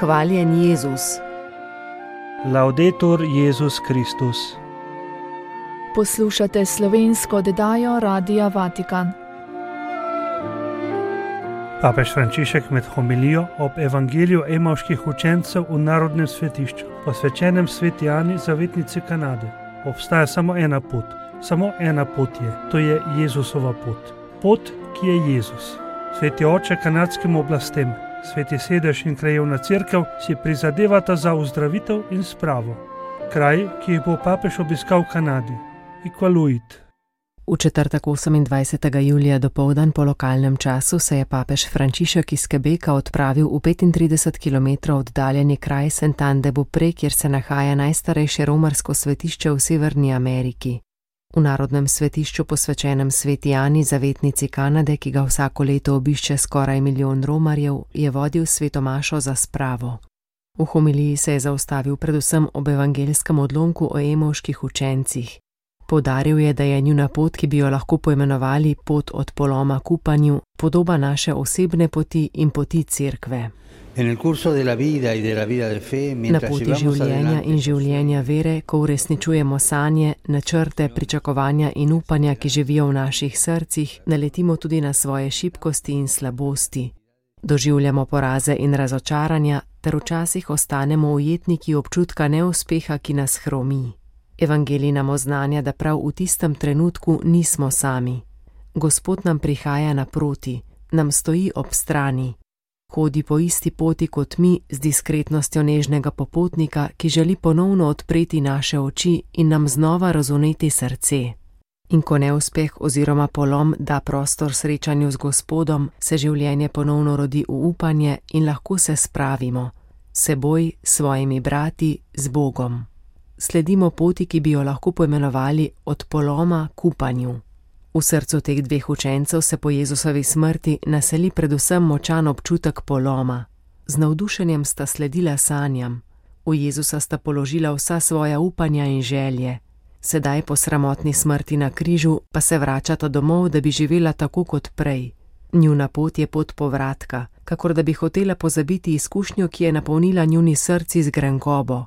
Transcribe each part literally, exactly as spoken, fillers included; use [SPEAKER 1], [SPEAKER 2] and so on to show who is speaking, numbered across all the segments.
[SPEAKER 1] Hvaljen Jezus.
[SPEAKER 2] Laudetur Jezus Kristus.
[SPEAKER 3] Poslušate slovensko oddajo Radia Vatikan.
[SPEAKER 2] Papež Frančišek med homilijo ob evangeliju emavških učencev v narodnem svetišču, posvečenem sveti Ani, zavetnici Kanade. Obstaja samo ena pot, samo ena pot je, to je Jezusova pot. Pot, ki je Jezus. Sveti oče kanadskim oblastem, sveti sedež in krajevna cerkev si prizadevata za ozdravitev in spravo. Kraj, ki jih bo papež obiskal v Kanadi, Iqaluit.
[SPEAKER 1] V četrtek osemindvajsetega julija dopoldan po lokalnem času se je papež Frančišek iz Quebeca odpravil v petintrideset kilometrov oddaljeni kraj Saint-Anne-de-Beaupré, kjer se nahaja najstarejše romarsko svetišče v Severni Ameriki. V narodnem svetišču posvečenem sveti Ani, zavetnici Kanade, ki ga vsako leto obišče skoraj milijon romarjev, je vodil svetomašo za spravo. V homiliji se je zaustavil predvsem ob evangelskem odlomku o emavških učencih. Poudaril je, da je njuna pot, ki bi jo lahko poimenovali pot od poloma k upanju, podoba naše osebne poti in poti cerkve. Na poti življenja in življenja vere, ko uresničujemo sanje, načrte, pričakovanja in upanja, ki živijo v naših srcih, naletimo tudi na svoje šibkosti in slabosti. Doživljamo poraze in razočaranja, ter včasih ostanemo ujetniki občutka neuspeha, ki nas hromi. Evangelij nam oznanja, da prav v tistem trenutku nismo sami. Gospod nam prihaja naproti, nam stoji ob strani. Hodi po isti poti kot mi z diskretnostjo nežnega popotnika, ki želi ponovno odpreti naše oči in nam znova razuneti srce. In ko neuspeh oziroma polom da prostor srečanju z Gospodom, se življenje ponovno rodi v upanje in lahko se spravimo. Seboj, svojimi brati, z Bogom. Sledimo poti, ki bi jo lahko poimenovali od poloma k upanju. V srcu teh dveh učencev se po Jezusovi smrti naseli predvsem močan občutek poloma. Z navdušenjem sta sledila sanjam. V Jezusa sta položila vsa svoja upanja in želje. Sedaj po sramotni smrti na križu pa se vračata domov, da bi živela tako kot prej. Njuna pot je pot povratka, kakor da bi hotela pozabiti izkušnjo, ki je napolnila njuni srci z grenkobo.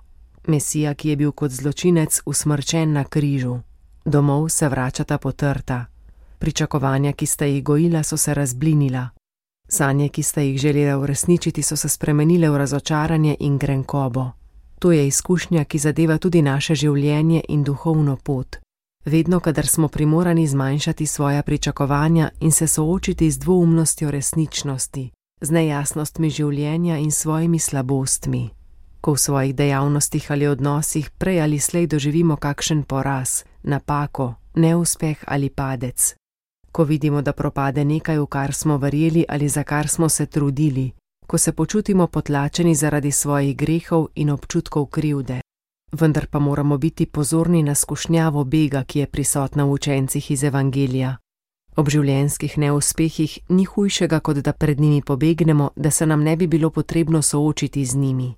[SPEAKER 1] Mesija, ki je bil kot zločinec usmrčen na križu. Domov se vračata potrta. Pričakovanja, ki sta jih gojila, so se razblinila. Sanje, ki sta jih želela uresničiti, so se spremenile v razočaranje in grenkobo. To je izkušnja, ki zadeva tudi naše življenje in duhovno pot. Vedno, kadar smo primorani zmanjšati svoja pričakovanja in se soočiti z dvoumnostjo resničnosti, z nejasnostmi življenja in svojimi slabostmi. Ko v svojih dejavnostih ali odnosih prej ali slej doživimo kakšen poraz, napako, neuspeh ali padec. Ko vidimo, da propade nekaj, v kar smo verjeli ali za kar smo se trudili. Ko se počutimo potlačeni zaradi svojih grehov in občutkov krivde. Vendar pa moramo biti pozorni na skušnjavo bega, ki je prisotna v učencih iz evangelija. Ob življenjskih neuspehih ni hujšega, kot da pred njimi pobegnemo, da se nam ne bi bilo potrebno soočiti z njimi.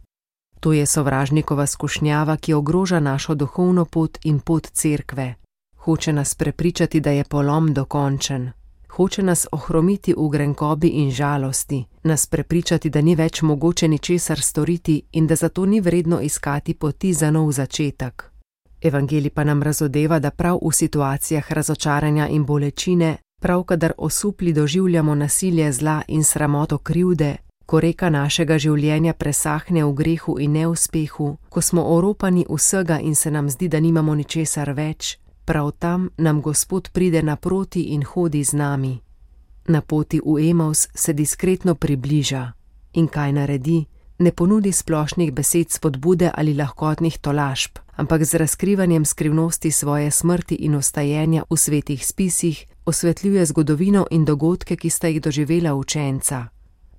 [SPEAKER 1] To je sovražnikova skušnjava, ki ogroža našo duhovno pot in pot cerkve. Hoče nas prepričati, da je polom dokončen. Hoče nas ohromiti v grenkobi in žalosti, nas prepričati, da ni več mogoče ničesar storiti in da zato ni vredno iskati poti za nov začetek. Evangelij pa nam razodeva, da prav v situacijah razočaranja in bolečine, prav kadar osupli doživljamo nasilje zla in sramoto krivde, ko reka našega življenja presahne v grehu in neuspehu, ko smo oropani vsega in se nam zdi, da nimamo ničesar več, prav tam nam Gospod pride naproti in hodi z nami. Na poti v Emaus se diskretno približa. In kaj naredi? Ne ponudi splošnih besed spodbude ali lahkotnih tolažb, ampak z razkrivanjem skrivnosti svoje smrti in ostajenja v svetih spisih osvetljuje zgodovino in dogodke, ki sta jih doživela učenca.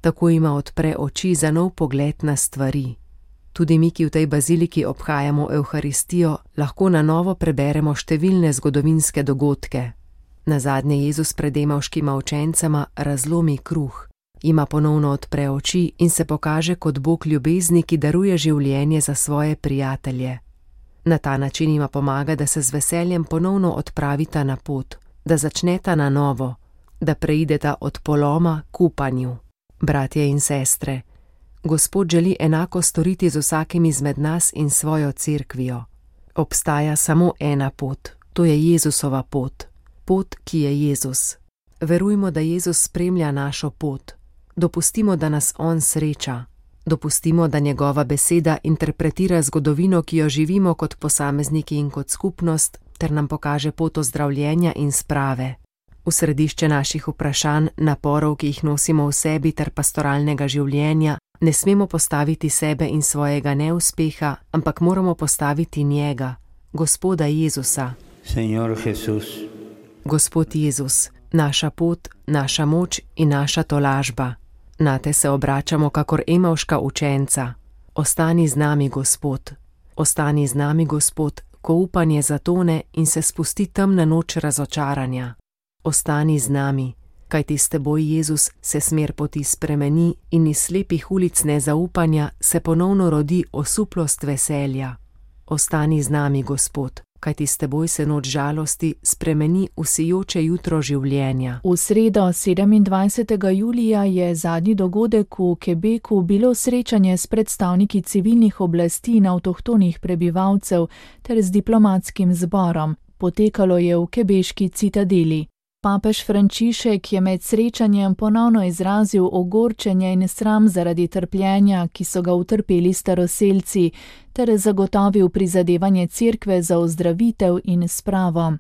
[SPEAKER 1] Tako ima odpre oči za nov pogled na stvari. Tudi mi, ki v tej baziliki obhajamo Evharistijo, lahko na novo preberemo številne zgodovinske dogodke. Nazadnje Jezus pred emavškima učencema razlomi kruh, ima ponovno odpre oči in se pokaže kot Bog ljubezni, ki daruje življenje za svoje prijatelje. Na ta način ima pomaga, da se z veseljem ponovno odpravita na pot, da začneta na novo, da preideta od poloma k upanju. Bratje in sestre, Gospod želi enako storiti z vsakim izmed nas in svojo cerkvijo. Obstaja samo ena pot, to je Jezusova pot, pot, ki je Jezus. Verujmo, da Jezus spremlja našo pot. Dopustimo, da nas On sreča. Dopustimo, da njegova beseda interpretira zgodovino, ki jo živimo kot posamezniki in kot skupnost, ter nam pokaže pot ozdravljenja in sprave. V središče naših vprašanj, naporov, ki jih nosimo v sebi, ter pastoralnega življenja, ne smemo postaviti sebe in svojega neuspeha, ampak moramo postaviti njega, Gospoda Jezusa.
[SPEAKER 4] Señor Jesús.
[SPEAKER 1] Gospod Jezus, naša pot, naša moč in naša tolažba. Nate se obračamo kakor emavška učenca. Ostani z nami, Gospod. Ostani z nami, Gospod, ko upanje zatone in se spusti temna noč razočaranja. Ostani z nami, kajti s teboj, Jezus, se smer poti spremeni in iz slepih ulic nezaupanja se ponovno rodi osuplost veselja. Ostani z nami, Gospod, kajti s teboj se noč žalosti spremeni v sijoče jutro življenja.
[SPEAKER 3] V sredo sedemindvajsetega julija je zadnji dogodek v Quebecu bilo srečanje s predstavniki civilnih oblasti in avtohtonih prebivalcev ter z diplomatskim zborom. Potekalo je v quebeški citadeli. Papež Frančišek je med srečanjem ponovno izrazil ogorčenje in sram zaradi trpljenja, ki so ga utrpeli staroselci, ter zagotovil prizadevanje cerkve za ozdravitev in spravo.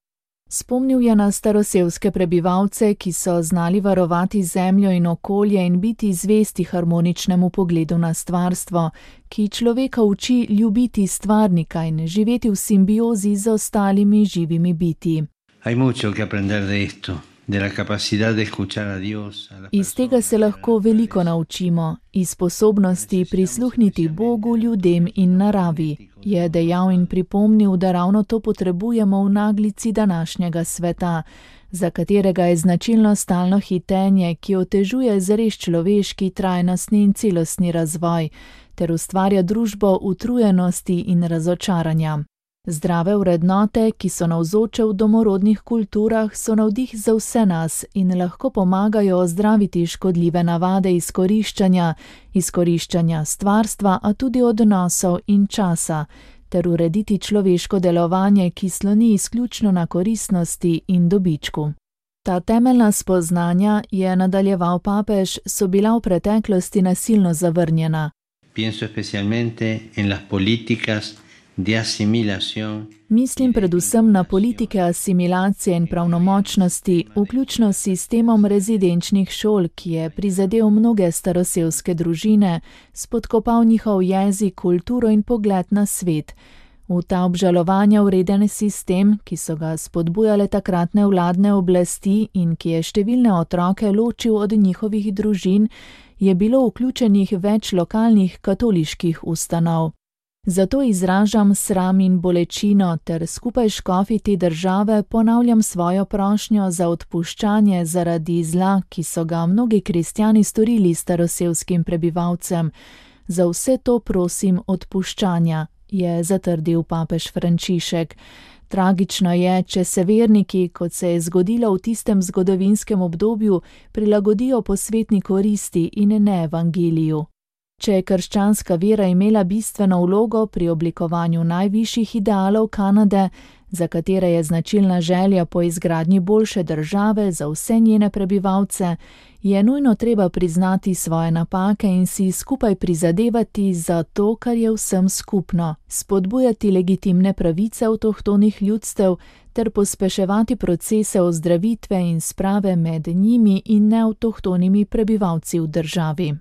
[SPEAKER 3] Spomnil je na staroselske prebivalce, ki so znali varovati zemljo in okolje in biti zvesti harmoničnemu pogledu na stvarstvo, ki človeka uči ljubiti stvarnika in živeti v simbiozi z ostalimi živimi biti.
[SPEAKER 4] Hay mucho que aprender de esto, de la capacidad de escuchar a Dios. A las
[SPEAKER 3] Iz tega se lahko veliko naučimo, iz sposobnosti prisluhniti Bogu, ljudem in naravi, je dejal in pripomnil, da ravno to potrebujemo v naglici današnjega sveta, za katerega je značilno stalno hitenje, ki otežuje zares človeški, trajnostni in celostni razvoj, ter ustvarja družbo utrujenosti in razočaranja. Zdrave vrednote, ki so navzoče v domorodnih kulturah, so navdih za vse nas in lahko pomagajo ozdraviti škodljive navade izkoriščanja, izkoriščanja stvarstva, a tudi odnosov in časa, ter urediti človeško delovanje, ki sloni izključno na koristnosti in dobičku. Ta temeljna spoznanja, je nadaljeval papež, so bila v preteklosti nasilno zavrnjena.
[SPEAKER 4] Pienso especialmente en las políticas de asimilación.
[SPEAKER 3] Mislim predvsem na politike asimilacije in pravnomočnosti, vključno s sistemom rezidenčnih šol, ki je prizadel mnoge staroselske družine, spodkopal njihov jezik, kulturo in pogled na svet. V ta obžalovanja vreden sistem, ki so ga spodbujale takratne vladne oblasti in ki je številne otroke ločil od njihovih družin, je bilo vključenih več lokalnih katoliških ustanov. Zato izražam sram in bolečino ter skupaj s škofi te države ponavljam svojo prošnjo za odpuščanje zaradi zla, ki so ga mnogi kristjani storili staroselskim prebivalcem. Za vse to prosim odpuščanja, je zatrdil papež Frančišek. Tragično je, če se verniki, kot se je zgodilo v tistem zgodovinskem obdobju, prilagodijo posvetni koristi in ne evangeliju. Če je krščanska vera imela bistveno vlogo pri oblikovanju najvišjih idealov Kanade, za katere je značilna želja po izgradnji boljše države za vse njene prebivalce, je nujno treba priznati svoje napake in si skupaj prizadevati za to, kar je vsem skupno, spodbujati legitimne pravice avtohtonih ljudstev ter pospeševati procese ozdravitve in sprave med njimi in neavtohtonimi prebivalci v državi.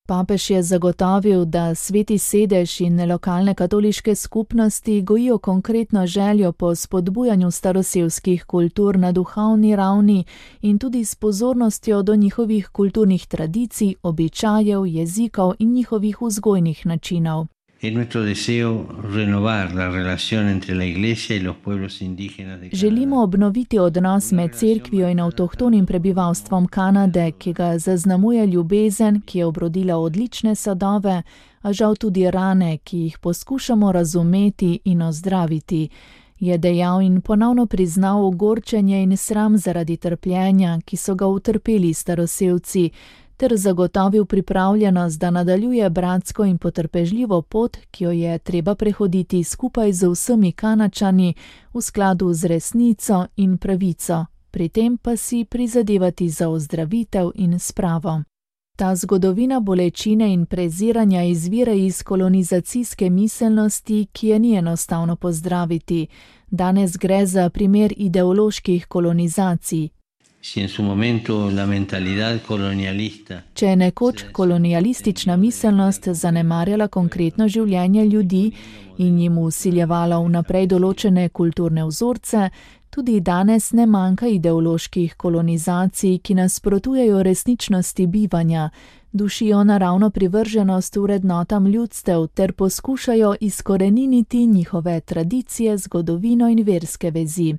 [SPEAKER 3] Papež je zagotovil, da Sveti sedež in lokalne katoliške skupnosti gojijo konkretno željo po spodbujanju staroselskih kultur na duhovni ravni in tudi s pozornostjo do njihovih kulturnih tradicij, običajev, jezikov in njihovih vzgojnih načinov. Želimo obnoviti odnos med cerkvijo in avtohtonim prebivalstvom Kanade, ki ga zaznamuje ljubezen, ki je obrodila odlične sadove, a žal tudi rane, ki jih poskušamo razumeti in ozdraviti, je dejal in ponovno priznal ogorčenje in sram zaradi trpljenja, ki so ga utrpeli staroselci, ter zagotovil pripravljenost, da nadaljuje bratsko in potrpežljivo pot, ki jo je treba prehoditi skupaj z vsemi Kanačani v skladu z resnico in pravico, pri tem pa si prizadevati za ozdravitev in spravo. Ta zgodovina bolečine in preziranja izvira iz kolonizacijske miselnosti, ki je ni enostavno pozdraviti. Danes gre za primer ideoloških kolonizacij. Če je nekoč kolonialistična miselnost zanemarjala konkretno življenje ljudi in jim vsiljevala vnaprej določene kulturne vzorce, tudi danes ne manjka ideoloških kolonizacij, ki nasprotujejo resničnosti bivanja, dušijo naravno privrženost vrednotam ljudstev ter poskušajo izkoreniniti njihove tradicije, zgodovino in verske vezi.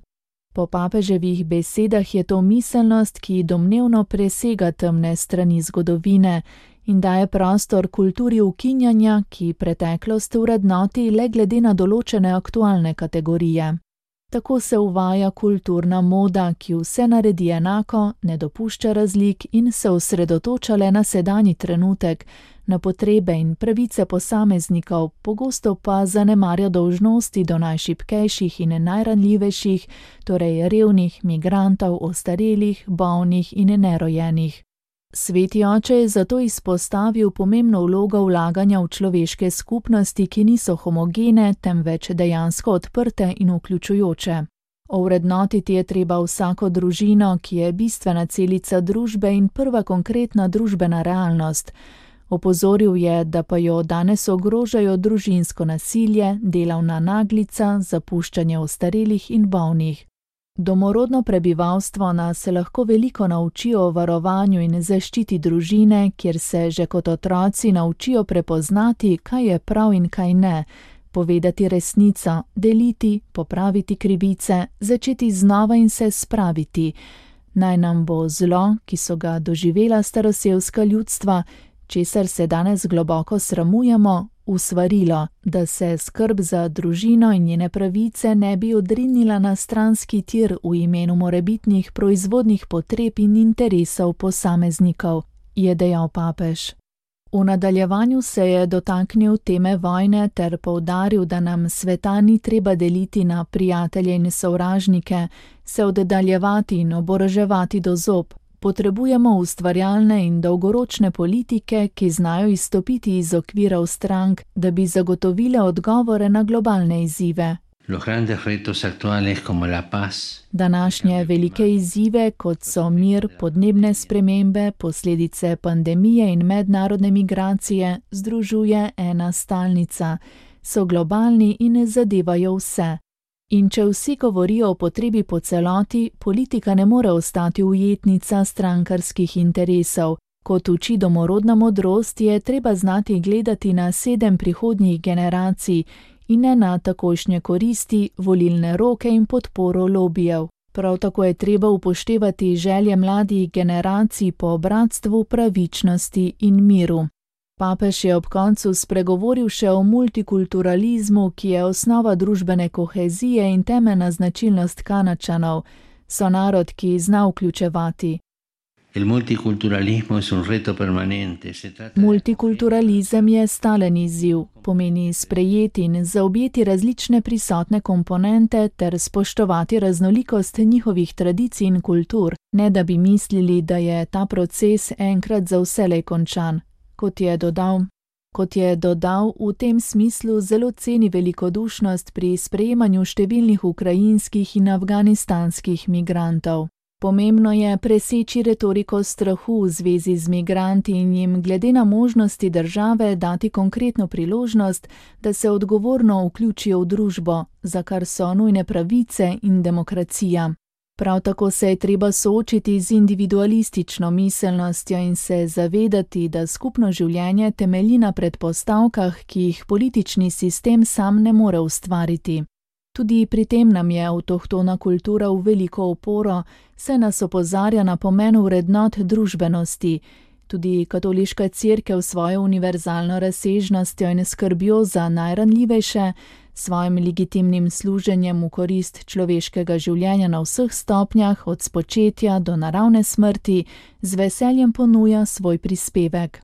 [SPEAKER 3] Po papeževih besedah je to miselnost, ki domnevno presega temne strani zgodovine in daje prostor kulturi ukinjanja, ki preteklost vrednoti le glede na določene aktualne kategorije. Tako se uvaja kulturna moda, ki vse naredi enako, ne dopušča razlik in se osredotoča le na sedanji trenutek, na potrebe in pravice posameznikov, pogosto pa zanemarja dolžnosti do najšibkejših in najranljivejših, torej revnih, migrantov, ostarelih, bolnih in nerojenih. Sveti oče je zato izpostavil pomembno vlogo vlaganja v človeške skupnosti, ki niso homogene, temveč dejansko odprte in vključujoče. Ovrednotiti je treba vsako družino, ki je bistvena celica družbe in prva konkretna družbena realnost. Opozoril je, da pa jo danes ogrožajo družinsko nasilje, delavna naglica, zapuščanje ostarelih in bolnih. Domorodno prebivalstvo nas lahko veliko nauči o varovanju in zaščiti družine, kjer se že kot otroci naučijo prepoznati, kaj je prav in kaj ne, povedati resnico, deliti, popraviti krivice, začeti znova in se spraviti. Naj nam bo zlo, ki so ga doživela starosevska ljudstva, česar se danes globoko sramujemo, usvarilo, da se skrb za družino in njene pravice ne bi odrinila na stranski tir v imenu morebitnih proizvodnih potreb in interesov posameznikov, je dejal papež. V nadaljevanju se je dotaknil teme vojne ter poudaril, da nam sveta ni treba deliti na prijatelje in sovražnike, se oddaljevati in oboroževati do zob. Potrebujemo ustvarjalne in dolgoročne politike, ki znajo izstopiti iz okvirov strank, da bi zagotovile odgovore na globalne izzive. Današnje velike izzive, kot so mir, podnebne spremembe, posledice pandemije in mednarodne migracije, združuje ena stalnica. So globalni in zadevajo vse. In če vsi govorijo o potrebi po celoti, politika ne more ostati ujetnica strankarskih interesov. Kot uči domorodna modrost, je treba znati gledati na sedem prihodnjih generacij in ne na takojšnje koristi, volilne roke in podporo lobijev. Prav tako je treba upoštevati želje mladih generacij po bratstvu, pravičnosti in miru. Papež je ob koncu spregovoril še o multikulturalizmu, ki je osnova družbene kohezije in temeljna značilnost Kanačanov. So narod, ki zna vključevati. Multikulturalizem je stalen izziv, pomeni sprejeti in zaobjeti različne prisotne komponente ter spoštovati raznolikost njihovih tradicij in kultur, ne da bi mislili, da je ta proces enkrat za vselej končan. Kot je dodal, kot je dodal, v tem smislu zelo ceni velikodušnost pri sprejemanju številnih ukrajinskih in afganistanskih migrantov. Pomembno je preseči retoriko strahu v zvezi z migranti in jim glede na možnosti države dati konkretno priložnost, da se odgovorno vključijo v družbo, za kar so nujne pravice in demokracija. Prav tako se je treba soočiti z individualistično miselnostjo in se zavedati, da skupno življenje temelji na predpostavkah, ki jih politični sistem sam ne more ustvariti. Tudi pri tem nam je avtohtona kultura v veliko oporo, saj nas opozarja na pomen vrednot družbenosti. Tudi katoliška cerkev svojo univerzalno razsežnostjo in skrbjo za najranljivejše Svojim legitimnim služenjem v korist človeškega življenja na vseh stopnjah, od spočetja do naravne smrti, z veseljem ponuja svoj prispevek.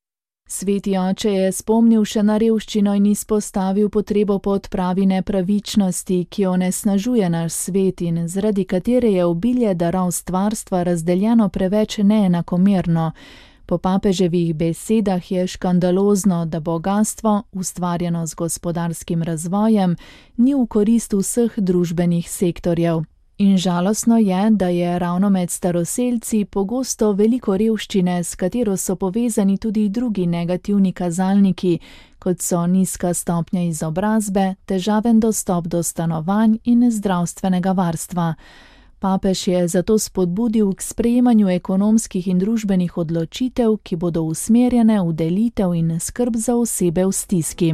[SPEAKER 3] Sveti oče je spomnil še na revščino in izpostavil potrebo po odpravi nepravičnosti, ki onesnažuje naš svet in zaradi katere je obilje darov stvarstva razdeljeno preveč neenakomerno. Po papeževih besedah je škandalozno, da bogastvo, ustvarjeno z gospodarskim razvojem, ni v korist vseh družbenih sektorjev. In žalostno je, da je ravno med staroselci pogosto veliko revščine, s katero so povezani tudi drugi negativni kazalniki, kot so nizka stopnja izobrazbe, težaven dostop do stanovanj in zdravstvenega varstva. Papež je zato spodbudil k sprejemanju ekonomskih in družbenih odločitev, ki bodo usmerjene v delitev in skrb za osebe v stiski.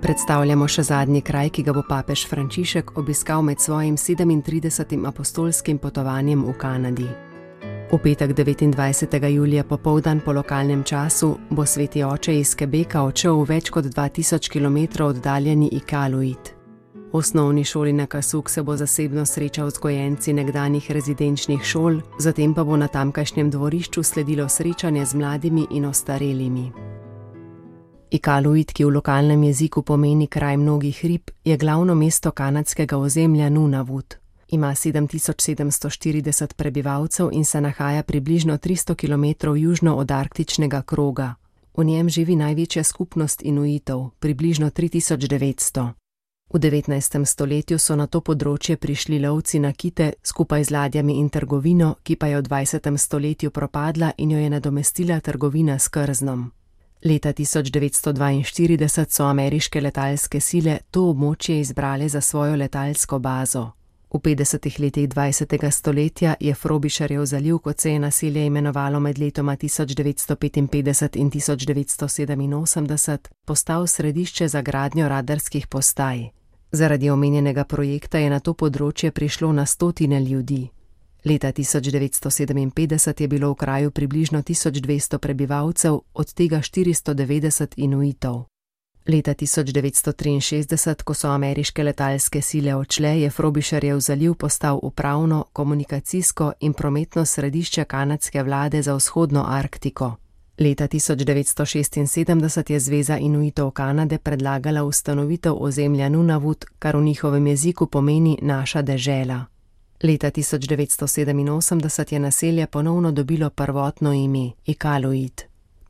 [SPEAKER 1] Predstavljamo še zadnji kraj, ki ga bo papež Frančišek obiskal med svojim sedemintridesetim apostolskim potovanjem v Kanadi. V petek devetindvajsetega julija popoldan po lokalnem času bo sveti oče iz Quebeca odšel v več kot dva tisoč kilometrov oddaljeni Iqaluit. V osnovni šoli Nakasuk se bo zasebno srečal z gojenci nekdanjih rezidenčnih šol, zatem pa bo na tamkajšnjem dvorišču sledilo srečanje z mladimi in ostarelimi. Iqaluit, ki v lokalnem jeziku pomeni kraj mnogih rib, je glavno mesto kanadskega ozemlja Nunavut. Ima sedem tisoč sedemsto štirideset prebivalcev in se nahaja približno tristo kilometrov južno od arktičnega kroga. V njem živi največja skupnost Inuitov, približno tri tisoč devetsto. V devetnajstem stoletju so na to področje prišli lovci na kite skupaj z ladjami in trgovino, ki pa je v dvajsetem stoletju propadla in jo je nadomestila trgovina s krznom. Leta tisoč devetsto dvainštirideset so ameriške letalske sile to območje izbrale za svojo letalsko bazo. V petdesetih letih dvajsetega stoletja je Frobisherjev zaliv, kot se je naselje imenovalo med letoma tisoč devetsto petinpetdeset in tisoč devetsto sedeminosemdeset, postal središče za gradnjo radarskih postaj. Zaradi omenjenega projekta je na to področje prišlo na stotine ljudi. Leta tisoč devetsto sedeminpetdeset je bilo v kraju približno tisoč dvesto prebivalcev, od tega štiristo devetdeset Inuitov. Leta tisoč devetsto triinšestdeset, ko so ameriške letalske sile odšle, je Frobisherjev zaliv postal upravno, komunikacijsko in prometno središče kanadske vlade za vzhodno Arktiko. Leta tisoč devetsto šestinsedemdeset je Zveza Inuitov Kanade predlagala ustanovitev ozemlja Nunavut, kar v njihovem jeziku pomeni naša dežela. Leta tisoč devetsto sedeminosemdeset je naselje ponovno dobilo prvotno ime Iqaluit.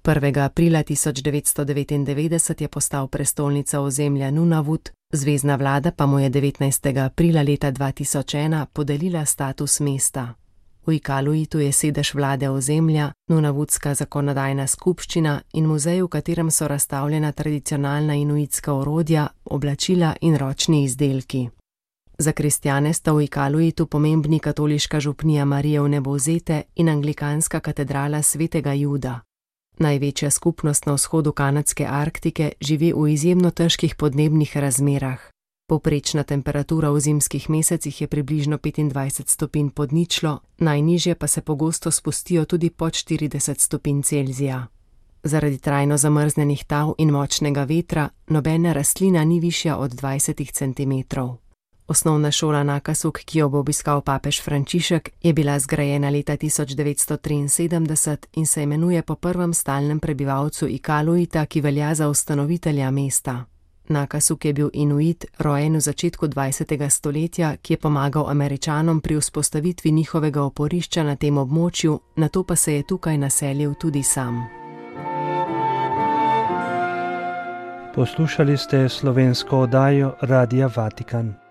[SPEAKER 1] prvega aprila tisoč devetsto devetindevetdeset je postal prestolnica ozemlja Nunavut, zvezna vlada pa mu je devetnajstega aprila leta dva tisoč ena podelila status mesta. V Iqaluitu je sedež vlade ozemlja, Nunavutska zakonodajna skupščina in muzej, v katerem so razstavljena tradicionalna inuitska orodja, oblačila in ročni izdelki. Za kristjane sta v Iqaluitu pomembni katoliška župnija Marije Vnebovzete in anglikanska katedrala svetega Juda. Največja skupnost na vzhodu kanadske Arktike živi v izjemno težkih podnebnih razmerah. Povprečna temperatura v zimskih mesecih je približno petindvajset stopinj pod ničlo, najnižje pa se pogosto spustijo tudi pod štirideset stopinj Celzija. Zaradi trajno zamrznenih tal in močnega vetra nobena rastlina ni višja od dvajset centimetrov. Osnovna šola Nakasuk, ki jo bo obiskal papež Frančišek, je bila zgrajena leta tisoč devetsto triinsedemdeset in se imenuje po prvem stalnem prebivalcu Iqaluita, ki velja za ustanovitelja mesta. Nakasuk je bil Inuit, rojen v začetku dvajsetega stoletja, ki je pomagal Američanom pri vzpostavitvi njihovega oporišča na tem območju, nato pa se je tukaj naselil tudi sam.
[SPEAKER 2] Poslušali ste slovensko oddajo Radia Vatikan.